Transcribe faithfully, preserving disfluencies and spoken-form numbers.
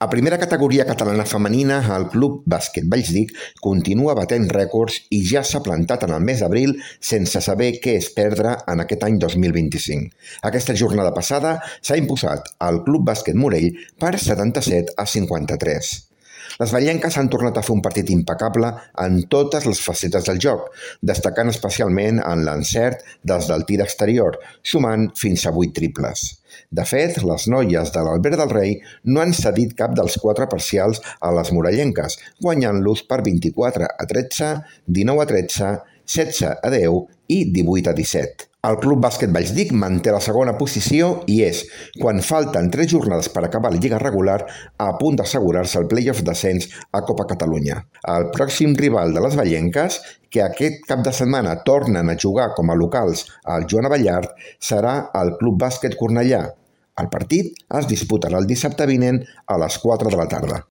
A primera categoria catalana femenina, el Club Bàsquet Vallsdic continua batent rècords i ja s'ha plantat en el mes d'abril sense saber què és perdre en aquest any dos mil vint-i-cinc. Aquesta jornada passada s'ha imposat el Club Bàsquet Morell per setanta-set a cinquanta-tres. Les vallenques han tornat a fer un partit impecable en totes les facetes del joc, destacant especialment en l'encert des del tir exterior, sumant fins a vuit triples. De fet, les noies de l'Albert del Rei no han cedit cap dels quatre parcials a les morellenques, guanyant-los per vint-i-quatre a tretze, dinou a tretze, setze a deu i divuit a disset. El Club Bàsquet Vallsdic manté la segona posició i és, quan falten tres jornades per acabar la lliga regular, a punt d'assegurar-se el play-off d'ascens a Copa Catalunya. El pròxim rival de les vallenques, que aquest cap de setmana tornen a jugar com a locals al Joan Abellard, serà el Club Bàsquet Cornellà. El partit es disputarà el dissabte vinent a les quatre de la tarda.